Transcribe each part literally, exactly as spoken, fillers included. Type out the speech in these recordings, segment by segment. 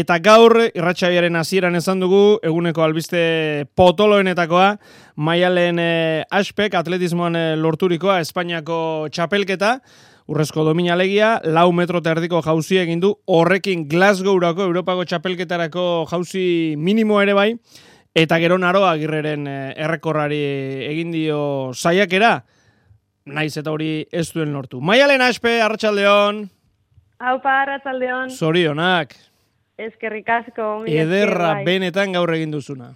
Eta gaur, irratsaioaren hasieran esan dugu, eguneko albiste potoloenetakoa, Maialen eh, Aspek, atletismoan eh, lorturikoa, Espainiako txapelketa, urrezko domina alegia, lau metro eta erdiko jauzi egin du, horrekin Glasgowrako, Europako txapelketarako jauzi minimo ere bai, eta gero Naroa Agirreren eh, errekorrari egin dio saiakera, naiz eta hori ez duen lortu. Maialen Aspe, arratsaldeon. Haupa, arratsaldeon. Zorionak. Eskerrik asko. Ederra bai. Benetan gaur egin duzuna.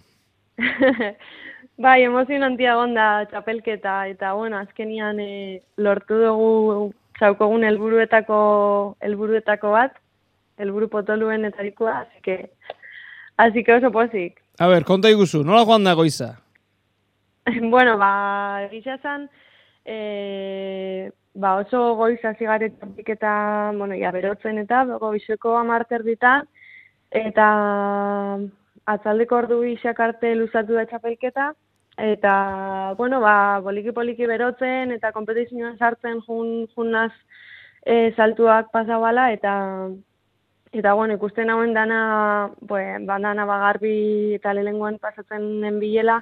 Bai, emozionantia gonda txapelketa, eta bueno, azkenian e, lortu dugu zaukogun helburuetako helburuetako bat, helburu potoluenetarikoa, así que así que oso pozik. A ber, konta iguzu, nola joan da goiza? Bueno, ba, egisa zan, e, ba, oso goiza zigaret txapelketa, bueno, ja, berotzen eta goizeko amarter dita, eta atzaldeko ordu bisak arte luzatu da txapelketa, eta, bueno, ba, poliki-poliki berotzen, eta kompetizioan sartzen jun, junaz e, saltuak pasabala, eta, eta, bueno, ikusten hauen dana, pues, bandana bagarbi eta lehenguan pasatzen bilela,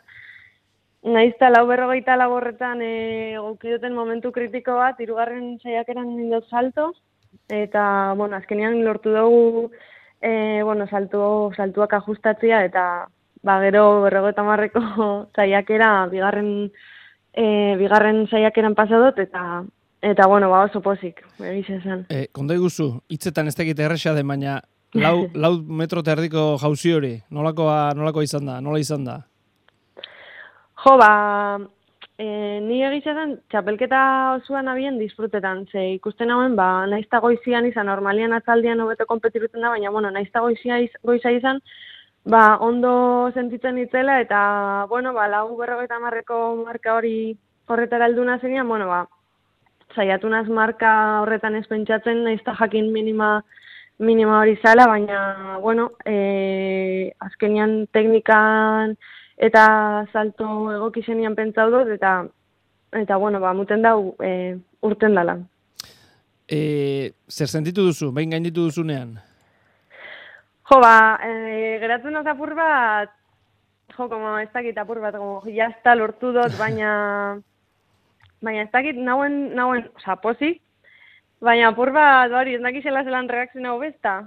naizta lau berrogeita laborretan e, gaukidoten momentu kritiko bat, hirugarren saiakeran nindot salto, eta, bueno, azkenean lortu dugu, E, bueno, saltu, saltuak ajustatzia, eta ba, gero berrogeita marreko saiakera, bigarren, e, bigarren saiakeran pasadot, eta, eta bueno, ba, oso pozik, egisa esan. E, konta iguzu, hitzetan ez tekite erresa den, baina lau, lau metro eta erdiko jauzi hori, nolakoa, nolakoa izan da, nola izan da? Jo, ba, e, ni egizaten txapelketa osoan abien disfrutetan, ze ikusten hauen, ba, naizta goizian izan, normalian atzaldian hobeto konpetiruten da, baina, bueno, naizta goizia iz, goiza izan, ba, ondo sentitzen itzela, eta, bueno, ba, lau berrogeita marreko marka hori horretara alduna zenean, bueno, ba, saiatunaz marka horretan ez pentsatzen, naizta jakin minima, minima hori zala, baina, bueno, e, azkenian teknikan, eta salto egokizenian pentsau dut, eta, eta bueno, ba, muten dau e, urten dala. E, zer sentitu duzu, behin gainditu duzunean? Jo, ba, e, geratzen oz apur bat, jo, como ez dakit apur bat, como, jazta lortu dut, baina, baina ez dakit, nauen, nauen, oza, pozik, baina apur bat, hori, ez dakizela zelan reakzionau besta,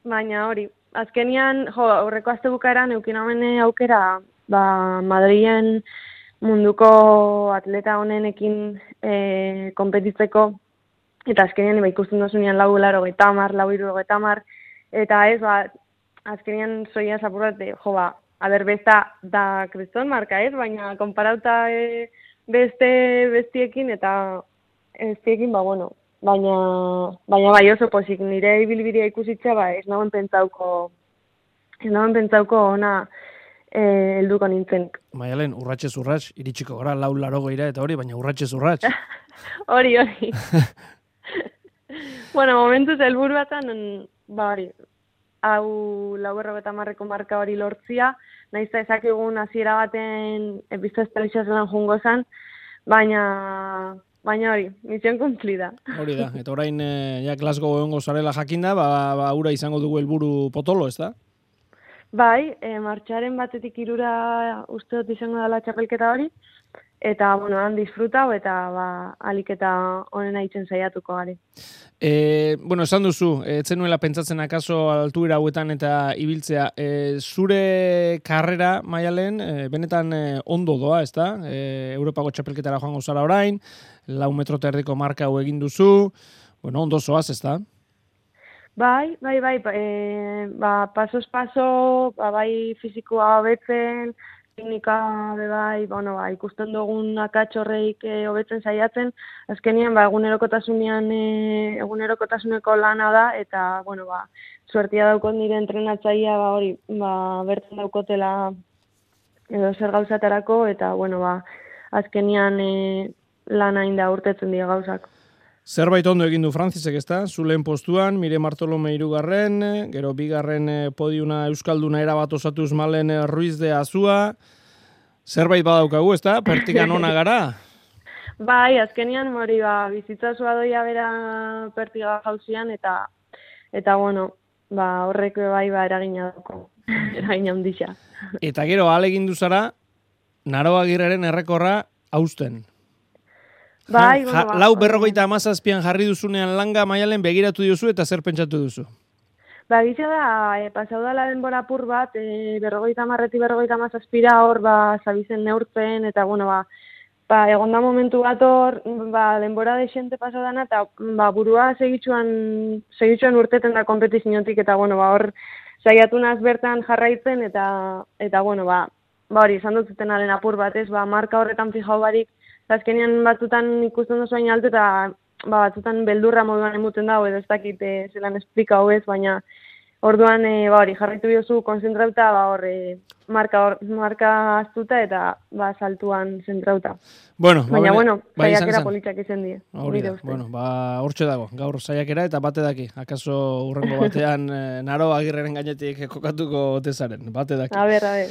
baina hori, azkenian, jo, aurreko azte bukaeran eukin hauen aukera, ba, Madrilen munduko atleta honenekin e, konpetitzeko, eta azkenian ba, ikusten dozunean lau laro getamar, lau iru getamar, eta ez, ba, azkenian soia zapurrate, jo, ba, aber besta da kriston marka ez, baina konparauta e, beste bestiekin, eta bestiekin, ba, bueno, Baina, baina bai oso pozik, nire ibilbiria ikusitza, ba, ez nagoen pentsauko, ez nagoen pentsauko ona eh, helduko nintzen. Maialen, urratxez urratx, iritsiko gara lau laro geira eta hori, baina urratxez urratx. Hori, hori. Bueno, momentuz helburu batan, ba hori, hau lau berrogeita marreko marka hori lortzia, naizta ezakigun hasiera baten epizta estalisa zelan jungo zan, baina... Baina hori, misión cumplida. Hori da, eta orain eh, ja Glasgow egongo zarela jakinda, ba, ba ura izango dugu helburu potolo, ez da? Bai, e, martxaren batetik irura uste dut izango dela txapelketa hori, eta, bueno, han disfrutau, eta, ba, aliketa honen aitzen saiatuko gari. E, bueno, esan duzu, etzen nuela pentsatzen akaso altuera hauetan eta ibiltzea, e, zure karrera, Maialen, e, benetan e, ondo doa, ez da? E, Europako txapelketara joango zara orain, lau metro eta erdiko marka hau egin duzu, bueno, ondo zoaz, ez da? Bai, bai, bai, e, ba, pasos paso, ba, bai fizikoa hobetzen, teknika be bai, bueno, ba, ikusten dugun akatxorreik e, hobetzen saiatzen, azkenian ba, egunerokotasunean e, egunerokotasuneko lana da, eta, bueno, ba, suertia daukot nire entrenatzaia, ba, hori, ba, bertan daukotela edo zer gauzatarako, eta, bueno, ba, azkenian e, lana inda urtetzen dira gauzak. Zerbait ondo egin du Frantzisek, ezta? Zulen postuan, Mire Martolome hirugarren, gero bigarren podiuna euskalduna erabat osatuz Malen Ruiz de Azua. Zerbait badaukagu, ezta? Pertikan ona gara. Bai, azkenian hori ba bizitza zua doia bera pertiga jauzian, eta eta bueno, ba, horrek bai ba, eragina dako, eragina handia. Eta gero, alegin duzara, Naro Agirreren errekorra hausten. Bai, ja, bueno, ba, lau berrogeita amazazpian jarri duzunean langa Maialen begiratu diozu eta zer pentsatu duzu? Ba, gisa da, e, pasau dala denbora apur bat, e, berrogeita marreti berrogeita amazazpira hor, ba, zabizen neurtzen, eta, bueno, ba, ba, egon da momentu bat hor, ba, denbora desente pasau dana, eta, ba, burua segitxuan, segitxuan urteten da kompetiziotik, eta, bueno, ba, hor, saiatu naz bertan jarraitzen, eta, eta, bueno, ba, ba, hori, esan dut zutenaren apur bat, ez, ba, marka horretan fijau barik, azkenean batzutan ikusten duzu baina altu, eta, ba, batzutan beldurra moduan emuten dago, edo ez dakit e, zelan esplika hau ez, baina orduan, e, ba, hori, jarraitu biozu konzentrauta, ba, hor, e, marka, or, marka aztuta, eta, ba, saltuan zentrauta. Bueno, baina, ba, bueno, bai, saiakera politxak izan die. Hori da, bueno, ba, hortxe dago, gaur saiakera eta bate daki. Akaso urrengo batean Naro Agirreren gainetik kokatuko otezaren, bate daki. A ber, a ber.